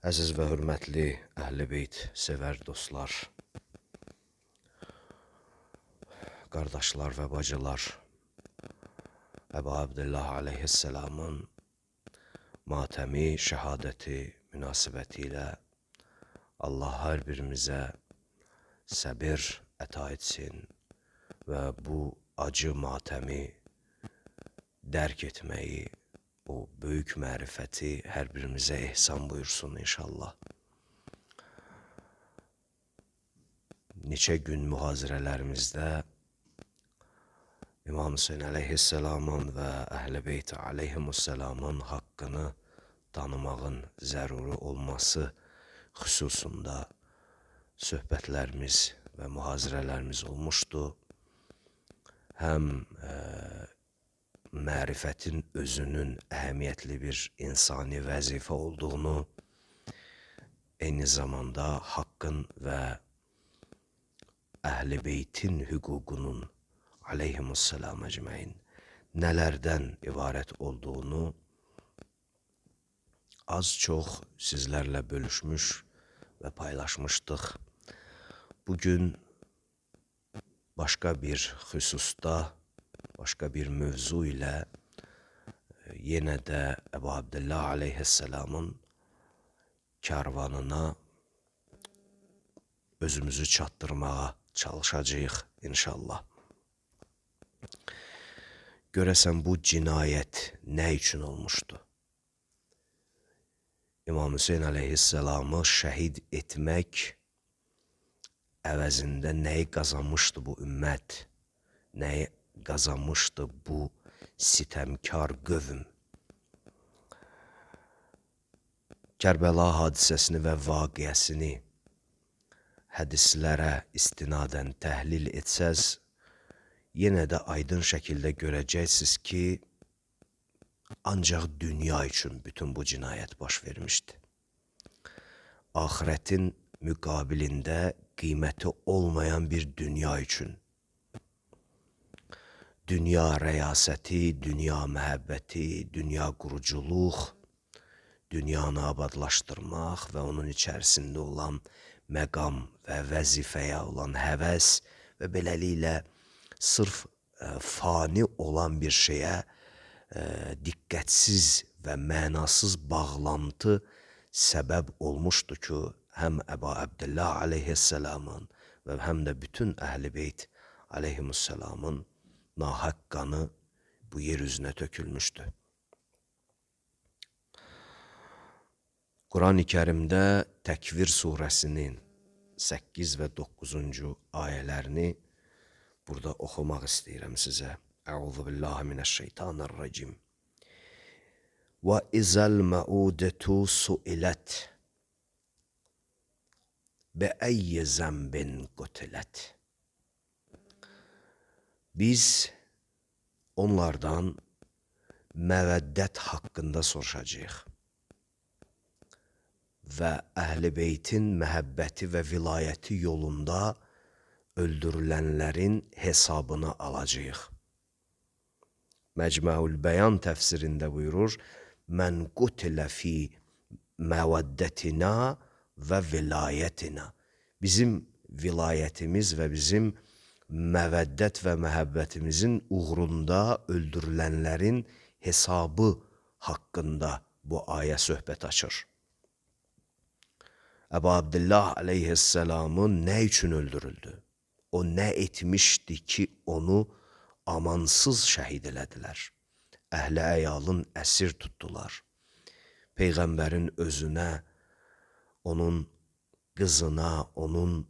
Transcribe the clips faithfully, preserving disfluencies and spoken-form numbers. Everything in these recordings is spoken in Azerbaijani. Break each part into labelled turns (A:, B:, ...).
A: Əziz və hörmətli Əhl-i Beyt sevər dostlar, qardaşlar və bacılar, Əbu Abdullah aleyhisselamın matəmi, şəhadəti münasibəti ilə Allah hər birimizə səbir əta etsin və bu acı matəmi dərk etməyi, o böyük mərifəti hər birimizə ehsan buyursun inşallah. Neçə gün mühazirələrimizdə İmam Hüseyin aleyhisselamın və Əhl-i Beyt aleyhimusselamın haqqını tanımağın zəruri olması xüsusunda söhbətlərimiz və mühazirələrimiz olmuşdu. Həm e, mərifətin özünün əhəmiyyətli bir insani vəzifə olduğunu, eyni zamanda haqqın və Əhl-i Beytin hüququnun aleyhimusselam əcməin nələrdən ibarət olduğunu az çox sizlərlə bölüşmüş və paylaşmışdıq. Bugün başqa bir xüsusda, başqa bir mövzu ilə yenə də Əbu Abdullah aleyhisselamın kərvanına özümüzü çatdırmağa çalışacağıq inşallah. Görəsən bu cinayət nə üçün olmuşdu? İmam Hüseyin aleyhisselamı şəhid etmək əvəzində nəyi qazanmışdı bu ümmət? Nəyi qazanmışdı bu sitəmkar qövm? Kərbəla hadisəsini və vaqiəsini hədislərə istinadən təhlil etsəz, yenə də aydın şəkildə görəcəksiniz ki, ancaq dünya üçün bütün bu cinayət baş vermişdi. Axirətin müqabilində qiyməti olmayan bir dünya üçün. Dünya rəyasəti, dünya məhəbbəti, dünya quruculuq, dünyanı abadlaşdırmaq və onun içərisində olan məqam və vəzifəyə olan həvəs və beləliklə sırf ə, fani olan bir şeyə ə, diqqətsiz və mənasız bağlantı səbəb olmuşdu ki, həm Əbu Abdullah aleyhisselamın və həm də bütün Əhl-i Beyt aleyhimusselamın nahaq qanı bu yer üzünə tökülmüşdü. Quran-ı Kərimdə Təkvir surəsinin səkkiz və doqquzuncu ayələrini burada oxumaq istəyirəm sizə. Əuzu billahi minəşşeytanirracim. Və izəl məudətu suilət bəəyyə zəmbin qutilət. Biz onlardan məvəddət haqqında soruşacağıq və Əhl-i Beytin məhəbbəti və vilayəti yolunda öldürülənlərin hesabını alacağıq. Məcmuul Bəyan təfsirində buyurur, Mən qutilə fi məvəddətina və vilayətina. Bizim vilayətimiz və bizim məvəddət və məhəbbətimizin uğrunda öldürülənlərin hesabı haqqında bu ayə söhbət açır. Əbu Abdullah aleyhisselamı nə üçün öldürüldü? O nə etmişdi ki, onu amansız şəhid elədilər? Əhl-i əyalın əsir tutdular. Peyğəmbərin özünə, onun qızına, onun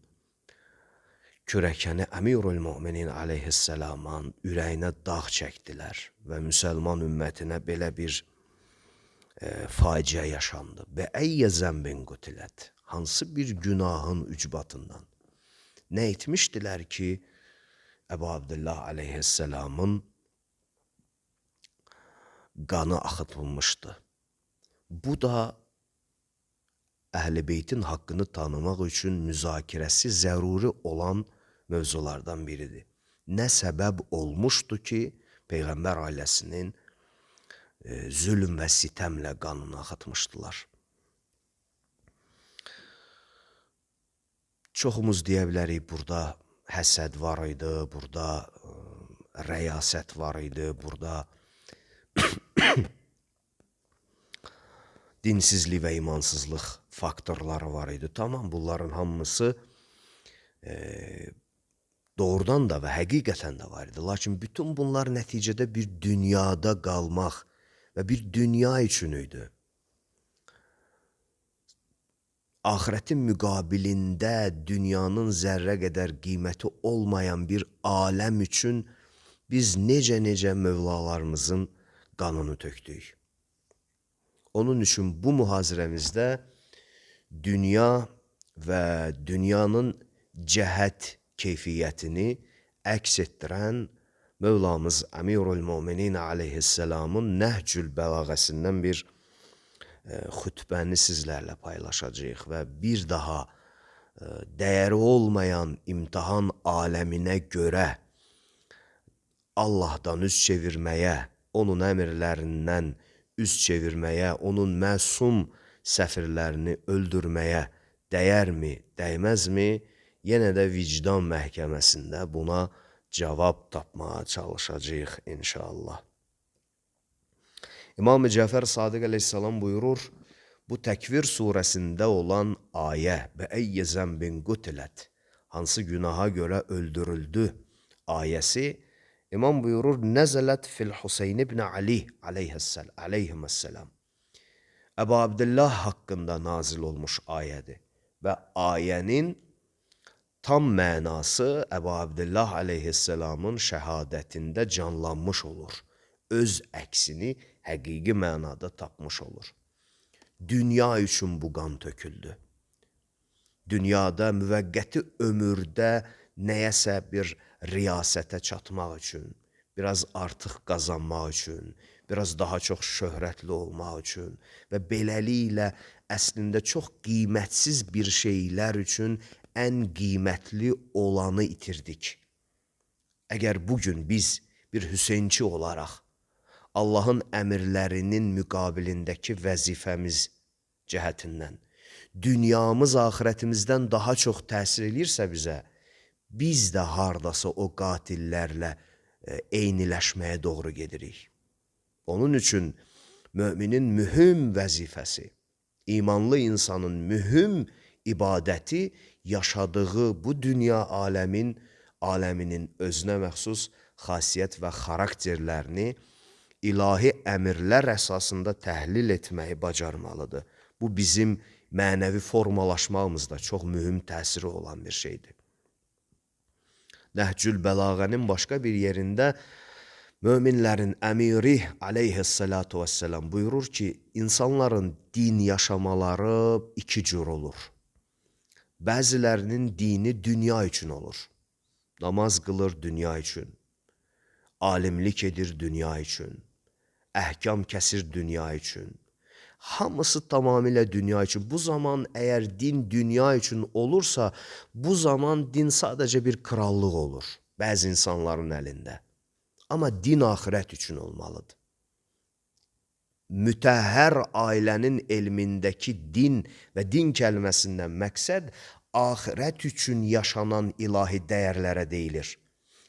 A: kürəkəni Əmirül Müminin aleyhisselamın ürəyinə dağ çəkdilər və müsəlman ümmətinə belə bir e, faciə yaşandı. Bəəyyə zəmbin qutilət. Hansı bir günahın ücbatından? Nə etmişdilər ki, Əbu Abdullah aleyhisselamın qanı axıtılmışdı? Bu da Əhl-i Beytin haqqını tanımaq üçün müzakirəsi zəruri olan mövzulardan biridir. Nə səbəb olmuşdu ki, Peyğəmbər ailəsinin e, zülm və sitəmlə qanını axıtmışdılar? çoxumuz deyə bilərik, burada həsəd var idi, burada ə, rəyasət var idi, burada dinsizlik və imansızlıq faktorları var idi. Tamam, bunların hamısı e, doğrudan da və həqiqətən də var idi. Lakin bütün bunlar nəticədə bir dünyada qalmaq və bir dünya üçün idi. Ahirətin müqabilində dünyanın zərrə qədər qiyməti olmayan bir aləm üçün biz necə-necə mövlalarımızın qanını tökdük. Onun üçün bu mühazirəmizdə dünya və dünyanın cəhət keyfiyyətini əks etdirən Mövlamız Əmirul Müminin aleyhisselamın Nəhcül Bəlağəsindən bir e, xütbəni sizlərlə paylaşacağıq və bir daha e, dəyəri olmayan imtihan aləminə görə Allahdan üz çevirməyə, onun əmirlərindən üz çevirməyə, onun məsum səfirlərini öldürməyə dəyərmi, dəyməzmi? Yenə də vicdan məhkəməsində buna cavab tapmağa çalışacağıq inşallah. İmam-ı Cəfər Sadiq əleyhissalam buyurur, bu Təkvir surəsində olan ayə və əyyə zəmbin qutilət, hansı günaha görə öldürüldü ayəsi, İmam buyurur, nəzələt fil Hüseyn ibn Ali aleyhisselam. Əbu Abdillah haqqında nazil olmuş ayədir və ayənin tam mənası Əbu Abdillah aleyhisselamın şəhadətində canlanmış olur. Öz əksini həqiqi mənada tapmış olur. Dünya üçün bu qan töküldü. Dünyada müvəqqəti ömürdə nəyəsə bir riyasətə çatmaq üçün, biraz artıq qazanmaq üçün, biraz daha çox şöhrətli olmaq üçün və beləliklə əslində çox qiymətsiz bir şeylər üçün ən qiymətli olanı itirdik. Əgər bugün biz bir Hüseynçi olaraq Allahın əmirlərinin müqabilindəki vəzifəmiz cəhətindən dünyamız axirətimizdən daha çox təsir edirsə bizə, biz də hardasa o qatillərlə eyniləşməyə doğru gedirik. Onun üçün müminin mühüm vəzifəsi, imanlı insanın mühüm ibadəti yaşadığı bu dünya aləmin, aləminin özünə məxsus xasiyyət və xarakterlərini ilahi əmirlər əsasında təhlil etməyi bacarmalıdır. Bu bizim mənəvi formalaşmamızda çox mühüm təsiri olan bir şeydir. Nəhcül Bəlağənin başqa bir yerində möminlərin əmiri aleyhissalatu vesselam buyurur ki, insanların din yaşamaları iki cür olur. Bəzilərinin dini dünya üçün olur. Namaz qılır dünya üçün, alimlik edir dünya üçün, əhkam kəsir dünya üçün. Hamısı tamamilə dünya üçün. Bu zaman əgər din dünya üçün olursa, bu zaman din sadəcə bir krallıq olur bəzi insanların əlində. Amma din axirət üçün olmalıdır. Mütəhhər ailənin elmindəki din və din kəlməsindən məqsəd axirət üçün yaşanan ilahi dəyərlərə deyilir.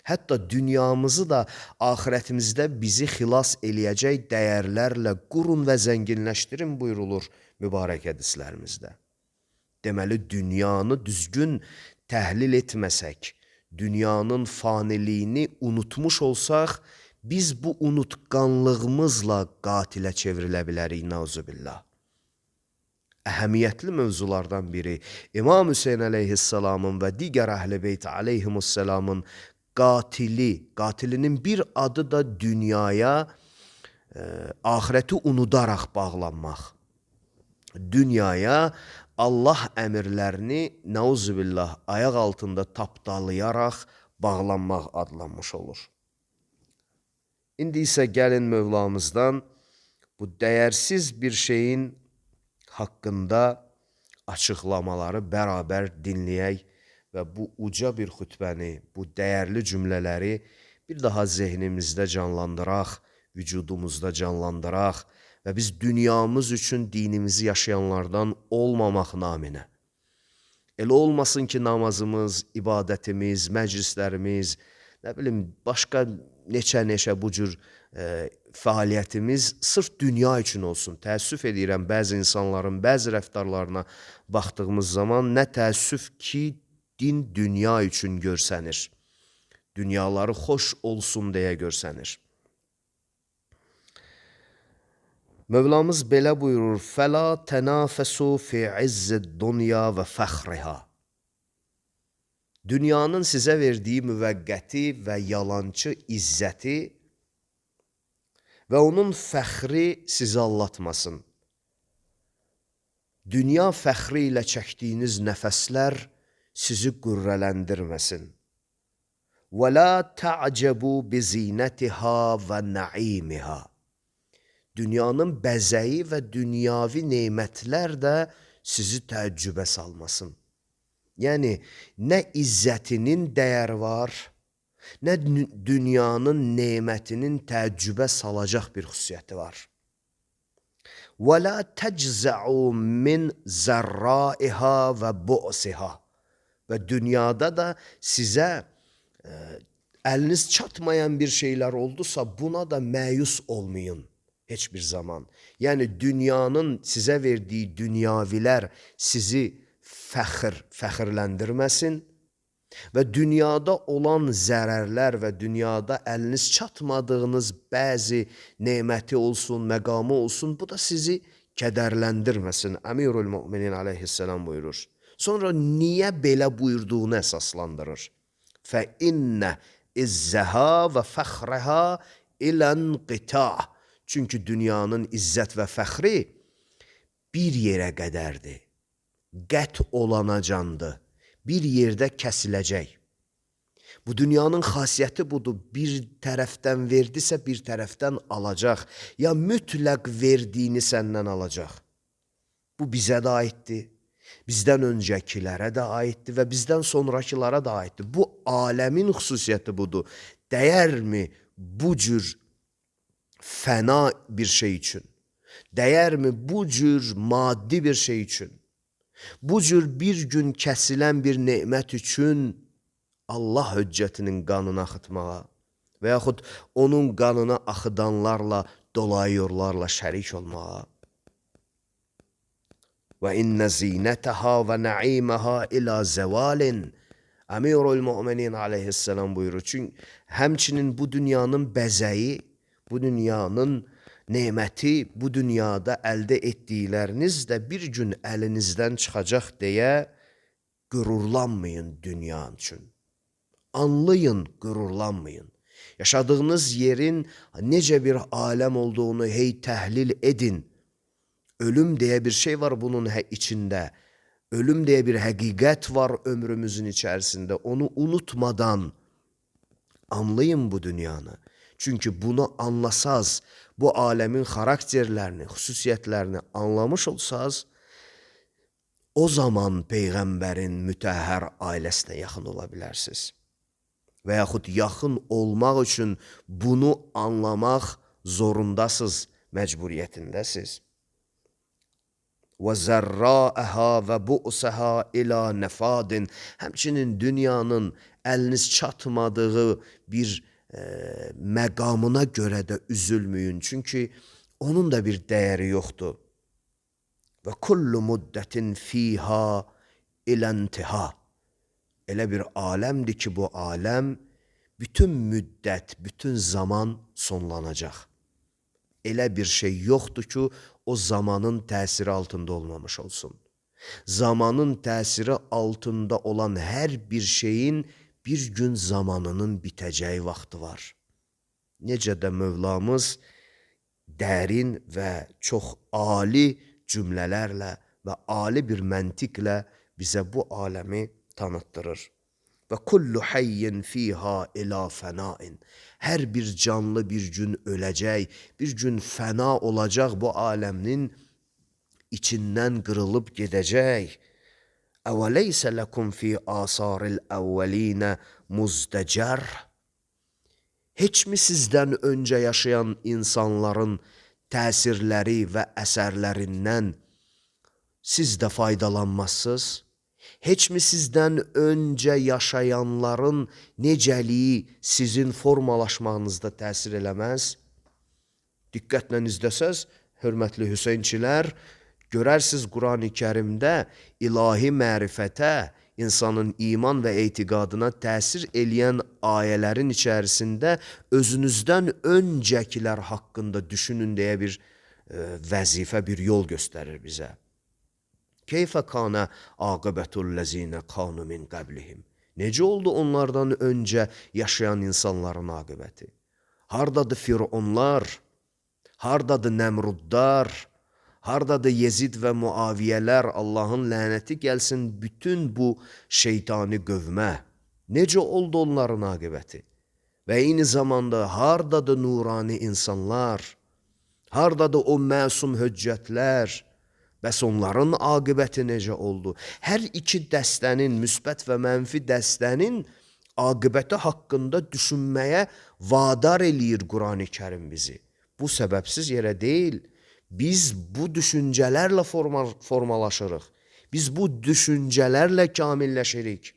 A: Hətta dünyamızı da axirətimizdə bizi xilas eləyəcək dəyərlərlə qurun və zənginləşdirin buyurulur mübarək hədislərimizdə. Deməli, dünyanı düzgün təhlil etməsək, dünyanın faniliyini unutmuş olsaq, biz bu unutqanlığımızla qatilə çevrilə bilərik, nauzubillah. Əhəmiyyətli mövzulardan biri İmam Hüseyn əleyhissalamın və digər əhl-i beyt aleyhimussalamın qatili, qatilinin bir adı da dünyaya, e, ahireti unudaraq bağlanmaq. Dünyaya Allah əmirlərini nauzubillah ayaq altında tapdalayaraq bağlanmaq adlanmış olur. İndi isə gəlin Mövlamızdan bu dəyərsiz bir şeyin haqqında açıqlamaları bərabər dinləyək və bu uca bir xütbəni, bu dəyərli cümlələri bir daha zehnimizdə canlandıraq, vücudumuzda canlandıraq və biz dünyamız üçün dinimizi yaşayanlardan olmamaq naminə, Elə olmasın ki, namazımız, ibadətimiz, məclislərimiz, nə bilim, başqa neçə-neçə bu cür e, fəaliyyətimiz sırf dünya üçün olsun. Təəssüf edirəm bəzi insanların bəzi rəftarlarına baxdığımız zaman nə təəssüf ki, din dünya üçün görsənir. Dünyaları xoş olsun deyə görsənir. Mövlamız belə buyurur: "Fəla tənafəsu fi izzid dunya və fəxriha." Dünyanın sizə verdiyi müvəqqəti və yalançı izzəti və onun fəxri sizi allatmasın. Dünya fəxri ilə çəkdiyiniz nəfəslər sizi qürrələndirməsin. Və la ta'cebu bi zinətiha və naimiha. Dünyanın bəzəyi və dünyavi nemətlər də sizi təəccübə salmasın. Yəni, nə izzətinin dəyəri var, nə dünyanın nemətinin təəccübə salacaq bir xüsusiyyəti var. Və la təczəu min zərraiha və bu'siha. Və dünyada da sizə ə, əliniz çatmayan bir şeylər oldusa, buna da məyus olmayın. Heç bir zaman. Yəni, dünyanın sizə verdiyi dünyavilər sizi fəxr, fəxrləndirməsin və dünyada olan zərərlər və dünyada əliniz çatmadığınız bəzi neməti olsun, məqamı olsun, bu da sizi kədərləndirməsin. Əmirül Müminin aleyhisselam buyurur. Sonra niyə belə buyurduğunu əsaslandırır. Fə innə izzəha və fəxrəha ilən qita'. Çünki dünyanın izzət və fəxri bir yerə qədərdir. Qət olanacandır. Bir yerdə kəsiləcək. Bu dünyanın xasiyyəti budur. Bir tərəfdən verdisə bir tərəfdən alacaq. Ya mütləq verdiyini səndən alacaq. Bu bizə də aiddir. Bizdən öncəkilərə də aiddir və bizdən sonrakılara da aiddir. Bu aləmin xüsusiyyəti budur. Dəyərmi bu cür fəna bir şey üçün? Dəyərmi bu cür maddi bir şey üçün? Bu cür bir gün kəsilən bir nemət üçün Allah höccətinin qanını axıtmağa və yaxud onun qanını axıdanlarla, dolayı yollarla şərik olmağa. Və innə zinətəha və nəiməha ilə zəvalin. Əmirül Müminin aleyhisselam buyurur. Çünki həmçinin bu dünyanın bəzəyi, bu dünyanın neməti, bu dünyada əldə etdikləriniz də bir gün əlinizdən çıxacaq deyə qürurlanmayın dünya üçün. Anlayın, qürurlanmayın. Yaşadığınız yerin necə bir aləm olduğunu hey təhlil edin. Ölüm deyə bir şey var bunun içində. Ölüm deyə bir həqiqət var ömrümüzün içərisində. Onu unutmadan anlayın bu dünyanı. Çünki bunu anlasaz, bu aləmin xarakterlərini, xüsusiyyətlərini anlamış olsaz, o zaman Peyğəmbərin mütəhhər ailəsinə yaxın ola bilərsiniz. Və yaxud yaxın olmaq üçün bunu anlamaq zorundasınız, məcburiyyətindəsiz. Və zərraəhə və bu'səhə ilə nəfadin. Həmçinin dünyanın əliniz çatmadığı bir e, məqamına görə də üzülməyin. Çünki onun da bir dəyəri yoxdur. Və kullu müddətin fiha iləntiha. Elə bir aləmdir ki, bu aləm bütün müddət, bütün zaman sonlanacaq. Elə bir şey yoxdur ki, o zamanın təsiri altında olmamış olsun. Zamanın təsiri altında olan hər bir şeyin bir gün zamanının bitəcəyi vaxtı var. Necə də Mövlamız dərin və çox ali cümlələrlə və ali bir məntiqlə bizə bu aləmi tanıtdırır. Və kullu hayyin fiha ila fənain. Hər bir canlı bir gün öləcək, bir gün fəna olacaq, bu aləmin içindən qırılıb gedəcək. Əvəleysə ləkum fi asaril əvvəlinə muzdəcər. Heç mi sizdən öncə yaşayan insanların təsirləri və əsərlərindən siz də faydalanmazsınız? Heç mi sizdən öncə yaşayanların necəliyi sizin formalaşmağınızda təsir eləməz? Diqqətlə izləsəz, hörmətli Hüseynçilər, görərsiniz Qurani Kərimdə ilahi mərifətə, insanın iman və etiqadına təsir eləyən ayələrin içərisində özünüzdən öncəkilər haqqında düşünün deyə bir e, vəzifə, bir yol göstərir bizə. Keyfə kana aqibətullezine kanu min qablihim. Necə oldu onlardan öncə yaşayan insanların aqibəti? Hardadır Fironlar? Hardadır Nəmrudlar? Hardadır Yezid və Muaviyələr? Allahın lənəti gəlsin bütün bu şeytani qövmə. Necə oldu onların aqibəti? Və eyni zamanda hardadır nurani insanlar? Hardadır o məsum höccətlər? Bəs onların aqibəti necə oldu? Hər iki dəstənin, müsbət və mənfi dəstənin aqibəti haqqında düşünməyə vadar eləyir Qurani Kərim bizi. Bu səbəbsiz yerə deyil. Biz bu düşüncələrlə formal, formalaşırıq. Biz bu düşüncələrlə kamilləşirik.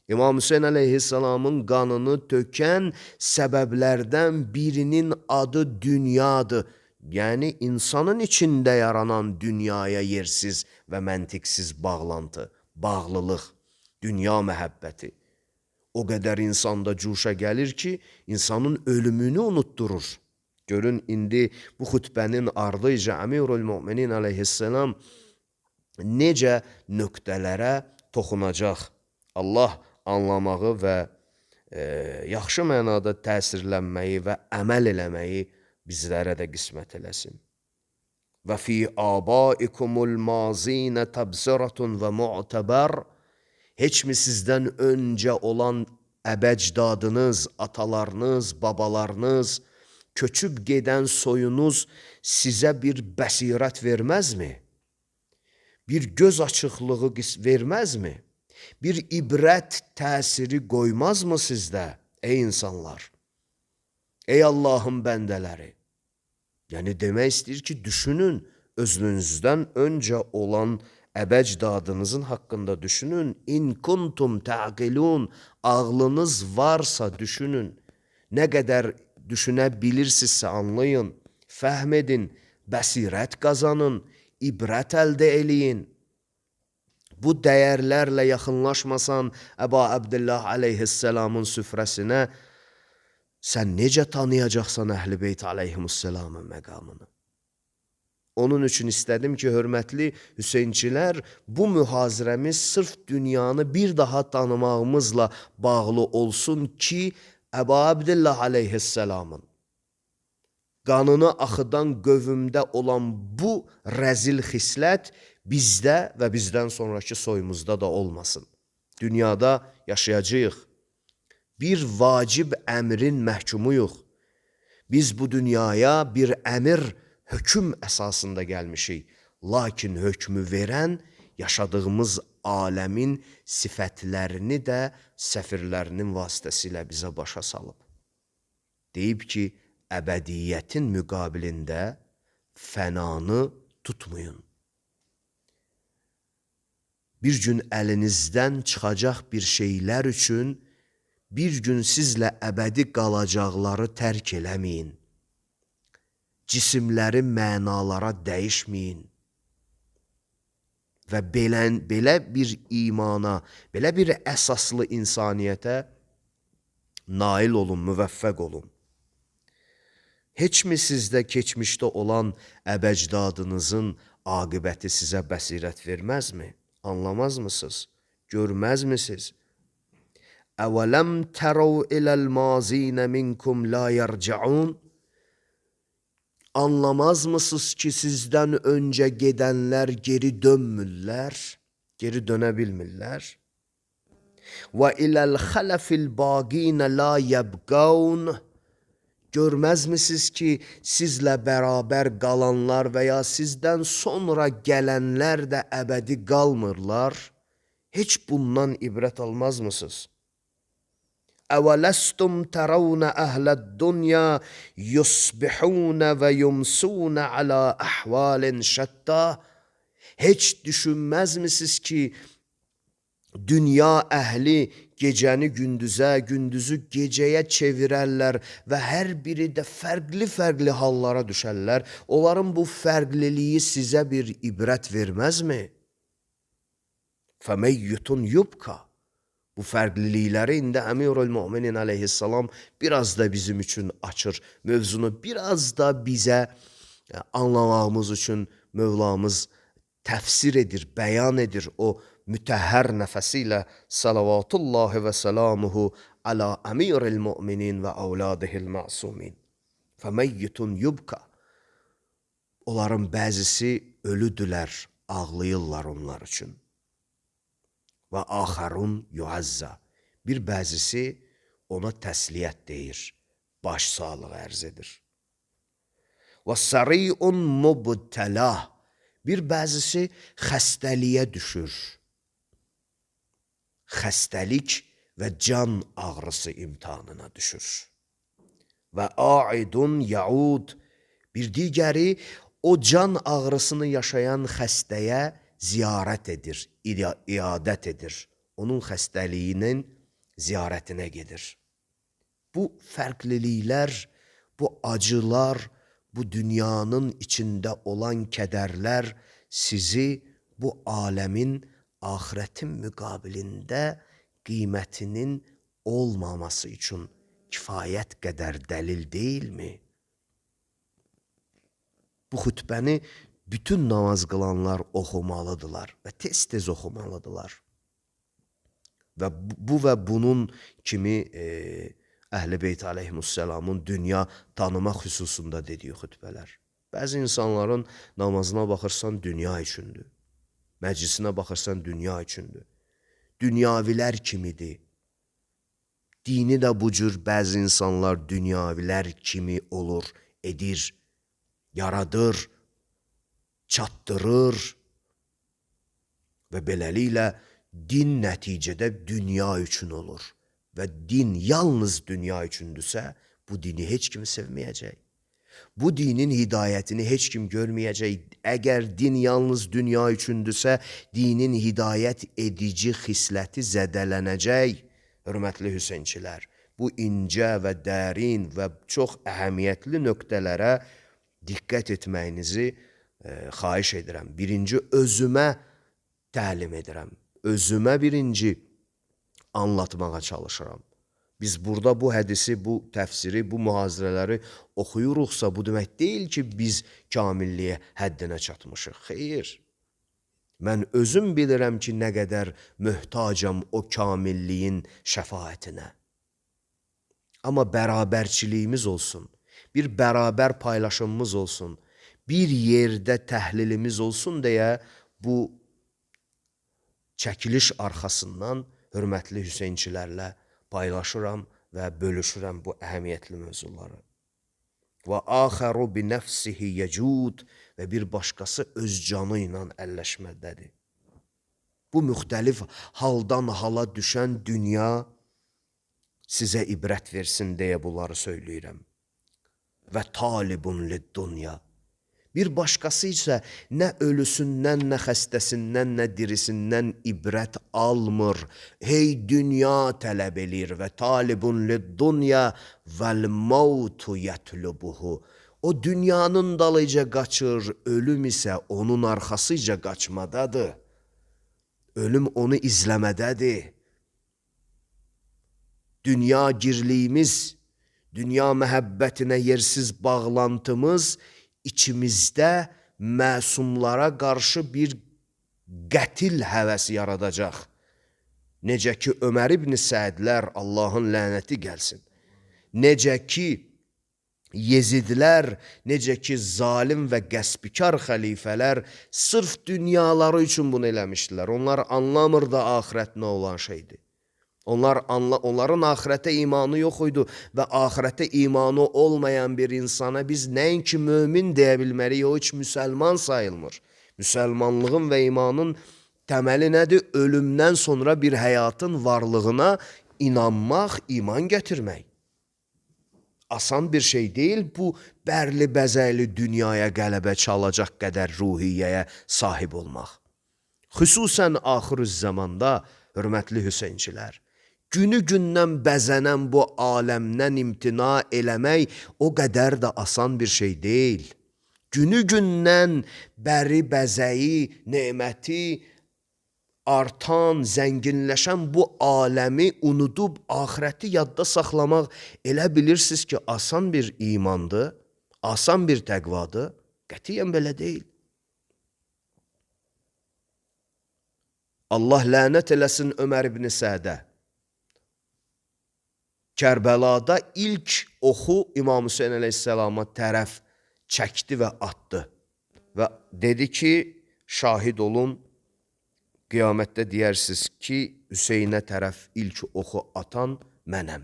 A: İmam Hüseyin əleyhissalamın qanını tökən səbəblərdən birinin adı dünyadır. Yəni, insanın içində yaranan dünyaya yersiz və məntiqsiz bağlantı, bağlılıq, dünya məhəbbəti. O qədər insanda cuşa gəlir ki, insanın ölümünü unutturur. Görün, indi bu xütbənin ardıca Əmirül Müminin əleyhissalam necə nöqtələrə toxunacaq. Allah anlamağı və e, yaxşı mənada təsirlənməyi və əməl eləməyi bizlərə də qismət eləsin. Və fi abaikumul mazinə təbzəratun və mu'təbər. Heç mi sizdən öncə olan əbəcdadınız, atalarınız, babalarınız, köçüb gedən soyunuz sizə bir bəsirət verməzmi? Bir göz açıqlığı verməzmi? Bir ibrət təsiri qoymazmı sizdə, ey insanlar? Ey Allahın bəndələri! Yəni, demək istəyir ki, düşünün, özünüzdən öncə olan əbəcdadınızın haqqında düşünün. İn kuntum təqilun, ağlınız varsa düşünün. Nə qədər düşünə bilirsinizsə anlayın, fəhm edin, bəsirət qazanın, ibrət əldə eləyin. Bu dəyərlərlə yaxınlaşmasan Əba Əbdillah əleyhissalamın süfrəsinə, sən necə tanıyacaqsan Əhl-i Beyt əleyhimussalamın məqamını? Onun üçün istədim ki, hörmətli Hüseynçilər, bu mühazirəmiz sırf dünyanı bir daha tanımağımızla bağlı olsun ki, Əba Əbdillah əleyhissalamın qanını axıdan qövmdə olan bu rəzil xislət bizdə və bizdən sonraki soyumuzda da olmasın. Dünyada yaşayacağıq. Bir vacib əmrin məhkumuyuq. Biz bu dünyaya bir əmir, hökm əsasında gəlmişik. Lakin hökmü verən, yaşadığımız aləmin sifətlərini də səfirlərinin vasitəsilə bizə başa salıb. Deyib ki, əbədiyyətin müqabilində fənanı tutmayın. Bir gün əlinizdən çıxacaq bir şeylər üçün bir gün sizlə əbədi qalacaqları tərk eləməyin. Cisimləri mənalara dəyişməyin. Və belə, belə bir imana, belə bir əsaslı insaniyyətə nail olun, müvəffəq olun. Heç mi sizdə keçmişdə olan əbəcdadınızın aqibəti sizə bəsirət verməzmi? Anlamazmısınız? Görməzmisiniz? Əvələm tərəv iləl mazinə minkum la yərcəun. Anlamazmısınız ki, sizdən öncə gedənlər geri dönmürlər, geri dönə bilmirlər? Və iləl xələfil baqinə la yəbqəun. Görməzmisiniz ki, sizlə bərabər qalanlar və ya sizdən sonra gələnlər də əbədi qalmırlar? Heç bundan ibrət almazmısınız? Əvələstum tərəvnə əhləd dünya yusbihunə və yumsunə alə əhvalin şətta. Heç düşünməzmisiniz ki, Dünya əhli gecəni gündüzə, gündüzü gecəyə çevirərlər və hər biri də fərqli-fərqli hallara düşərlər. Onların bu fərqliliyi sizə bir ibrət verməzmi? Fəməyyutun yubka. Bu fərqlilikləri indi Əmirül-Müminin əleyhissalam biraz da bizim üçün açır. Mövzunu biraz da bizə anlamağımız üçün Mövlamız təfsir edir, bəyan edir. O mütəhhər nəfəsi ilə salavatullahi və salamuhu alə Əmirül-Müminin və əvladihil masumin. Fəməyyutun yubka. Onların bəzisi ölüdülər, ağlayırlar onlar üçün. Və axarun yuazza. Bir bəzisi ona təsliyyət deyir, baş sağlığı ərz edir. Və sariun mubtəlah. Bir bəzisi xəstəliyə düşür. Xəstəlik və can ağrısı imtihanına düşür. Və aidun yaud. Bir digəri o can ağrısını yaşayan xəstəyə ziyarət edir, iadət edir. Onun xəstəliyinin ziyarətinə gedir. Bu fərqliliklər, bu acılar, bu dünyanın içində olan kədərlər sizi bu aləmin axirətin müqabilində qiymətinin olmaması üçün kifayət qədər dəlil deyilmi? Bu xütbəni bütün namaz qılanlar oxumalıdırlar və tez-tez oxumalıdırlar. Və bu və bunun kimi e, Əhl-i Beyt əleyhimussalamın dünya tanımaq xüsusunda dediyi xütbələr. Bəzi insanların namazına baxırsan dünya üçündür. Məclisinə baxırsan dünya üçündür. Dünyavilər kimidir. Dini də bu cür bəzi insanlar dünyavilər kimi olur, edir, yaradır, çatdırır və beləliklə din nəticədə dünya üçün olur və din yalnız dünya üçündürsə, bu dini heç kim sevməyəcək. Bu dinin hidayətini heç kim görməyəcək. Əgər din yalnız dünya üçündürsə, dinin hidayət edici xisləti zədələnəcək. Hörmətli Hüseynçilər, bu incə və dərin və çox əhəmiyyətli nöqtələrə diqqət etməyinizi e, xahiş edirəm. Birinci özümə təlim edirəm. Özümə birinci anlatmağa çalışıram. Biz burada bu hədisi, bu təfsiri, bu mühazirələri oxuyuruqsa, bu demək deyil ki, biz kamilliyə həddinə çatmışıq. Xeyr. Mən özüm bilirəm ki, nə qədər möhtacam o kamilliyin şəfaətinə. Amma bərabərçiliyimiz olsun, bir bərabər paylaşımımız olsun, bir yerdə təhlilimiz olsun deyə bu çəkiliş arxasından hörmətli Hüseynçilərlə paylaşıram və bölüşürəm bu əhəmiyyətli mövzuları. Və axəru bi nəfsihi yəcud və bir başqası öz canı ilə əlləşmədədir. Bu müxtəlif haldan hala düşən dünya sizə ibrət versin deyə bunları söyləyirəm. Və talibun lid-dunya. Bir başqası isə nə ölüsündən, nə xəstəsindən, nə dirisindən ibrət almır. Hey dünya tələb elir və talibun lid-dunya vəl-mautu yətlubuhu. O dünyanın dalıca qaçır, ölüm isə onun arxasıca qaçmadadır. Ölüm onu izləmədədir. Dünya girliyimiz, dünya məhəbbətinə yersiz bağlantımız içimizdə məsumlara qarşı bir qətil həvəsi yaradacaq. Necə ki, Ömər ibn Səədlər, Allahın lənəti gəlsin. Necə ki, Yezidlər, necə ki, zalim və qəsbikar xəlifələr sırf dünyaları üçün bunu eləmişdilər. Onlar anlamırdı axirət nə olan şeydir. Onlar anla, onların axirətə imanı yox idi və axirətə imanı olmayan bir insana biz nəinki mömin deyə bilməliyik, o heç müsəlman sayılmır. Müsəlmanlığın və imanın təməli nədir? Ölümdən sonra bir həyatın varlığına inanmaq, iman gətirmək. Asan bir şey deyil bu bərli bəzəkli dünyaya qələbə çalacaq qədər ruhiyyəyə sahib olmaq. Xüsusən axır zamanda, hörmətli Hüseynçilər, günü gündən bəzənən bu aləmdən imtina eləmək o qədər də asan bir şey deyil. Günü gündən bəri bəzəyi, neməti, artan, zənginləşən bu aləmi unudub axirəti yadda saxlamaq elə bilirsiniz ki, asan bir imandır, asan bir təqvadır. Qətiyyən belə deyil. Allah lənət eləsin Ömər ibn Sədə. Kərbəlada ilk oxu İmam Hüseyin əleyhissalama tərəf çəkdi və atdı. Və dedi ki, şahid olun, qiyamətdə deyərsiniz ki, Hüseynə tərəf ilk oxu atan mənəm.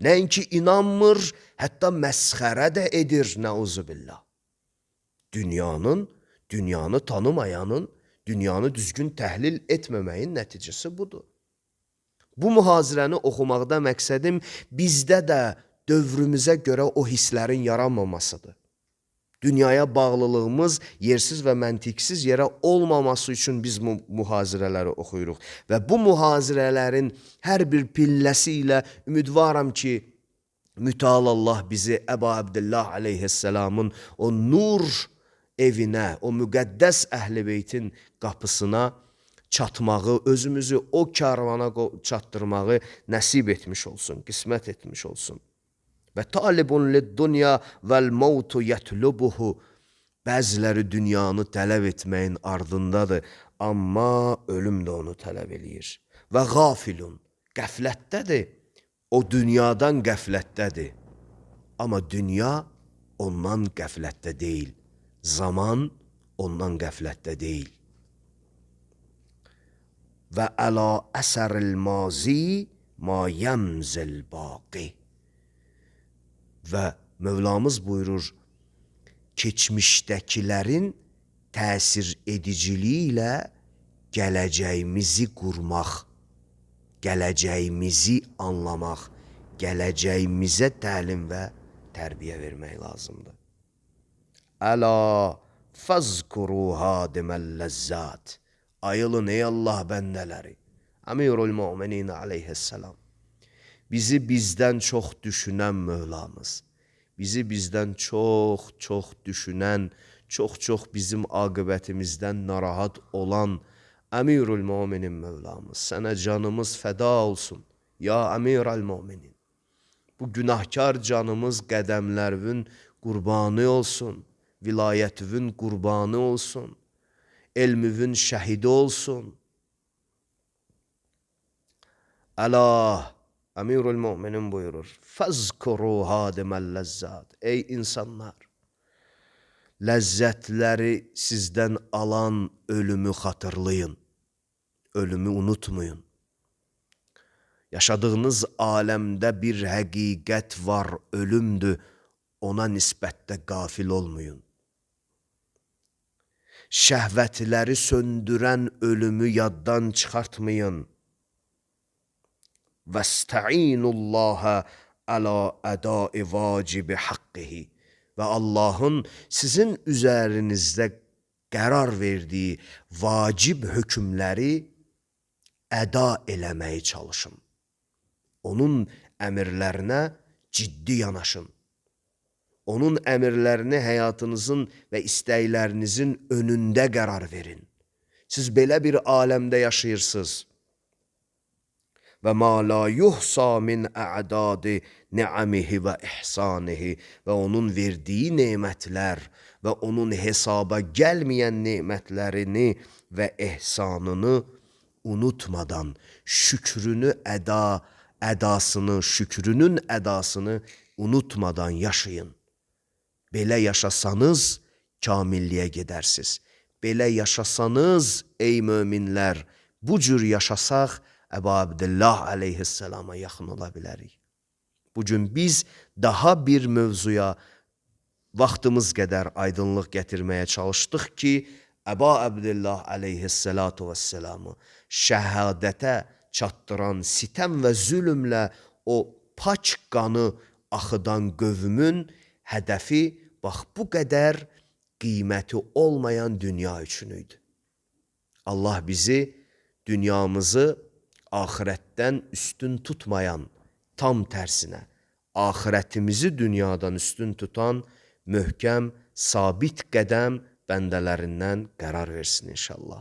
A: Nəinki inanmır, hətta məsxərə də edir, nəuzubillah. Dünyanın, dünyanı tanımayanın, dünyanı düzgün təhlil etməməyin nəticəsi budur. Bu mühazirəni oxumaqda məqsədim bizdə də dövrümüzə görə o hisslərin yaranmamasıdır. Dünyaya bağlılığımız yersiz və məntiqsiz yerə olmaması üçün biz bu mühazirələri oxuyuruq. Və bu mühazirələrin hər bir pilləsi ilə ümidvaram ki, mütəal Allah bizi Əba Abdillah aleyhisselamın o nur evinə, o müqəddəs əhl-i beytin qapısına çatmağı, özümüzü o karvana çatdırmağı nəsib etmiş olsun, qismət etmiş olsun. Və talibun lid-dunya vəl-mautu yətlubuhu. Bəziləri dünyanı tələb etməyin ardındadır, amma ölüm də onu tələb eləyir. Və qafilun, qəflətdədir, o dünyadan qəflətdədir. Amma dünya ondan qəflətdə deyil, zaman ondan qəflətdə deyil. Və əla əsəril mazi ma yəmzil baqi. Və Mövlamız buyurur, keçmişdəkilərin təsir ediciliyi ilə gələcəyimizi qurmaq, gələcəyimizi anlamaq, gələcəyimizə təlim və tərbiyə vermək lazımdır. Əla fəzkuru hadiməl-ləzzat. Ayılın ey Allah bəndələri. Əmirul Müminin aleyhisselam. Bizi bizdən çox düşünən Mövlamız, bizi bizdən çox-çox düşünən, çox-çox bizim aqibətimizdən narahat olan Əmirul Müminin Mövlamız, sənə canımız fəda olsun, ya Əmirul Müminin. Bu günahkar canımız qədəmlərvün qurbanı olsun, vilayətvün qurbanı olsun, elmüvün şəhidi olsun. Əla, Əmirul Müminin buyurur, fəzkuru hadiməl-ləzzat. Ey insanlar, ləzzətləri sizdən alan ölümü xatırlayın, ölümü unutmayın. Yaşadığınız aləmdə bir həqiqət var, ölümdür, ona nisbətdə qafil olmayın. Şəhvətləri söndürən ölümü yaddan çıxartmayın. Vəstəinullaha əla ədai vacibi haqqihi. Və Allahın sizin üzərinizdə qərar verdiyi vacib hökmləri əda eləməyə çalışın. Onun əmirlərinə ciddi yanaşın. Onun əmirlərini həyatınızın və istəklərinizin önündə qərar verin. Siz belə bir aləmdə yaşayırsınız. Və ma la yuhsa min a'dadi ni'amihi və ihsanihi. Və onun verdiyi nemətlər və onun hesaba gəlməyən nemətlərini və ehsanını unutmadan şükrünü əda, ədasını, şükrünün ədasını unutmadan yaşayın. Belə yaşasanız kamilliyə gedərsiniz. Belə yaşasanız ey möminlər, bu cür yaşasaq Əba Abdillah aleyhisselama yaxın ola bilərik. Bugün biz daha bir mövzuya vaxtımız qədər aydınlıq gətirməyə çalışdıq ki, Əba Abdillah aleyhisselatu vesselamı şəhadətə çatdıran sitəm və zülmlə o paç qanı axıdan qövmün hədəfi bax bu qədər qiyməti olmayan dünya üçün idi. Allah bizi dünyamızı axirətdən üstün tutmayan, tam tərsinə, axirətimizi dünyadan üstün tutan möhkəm, sabit qədəm bəndələrindən qərar versin inşallah.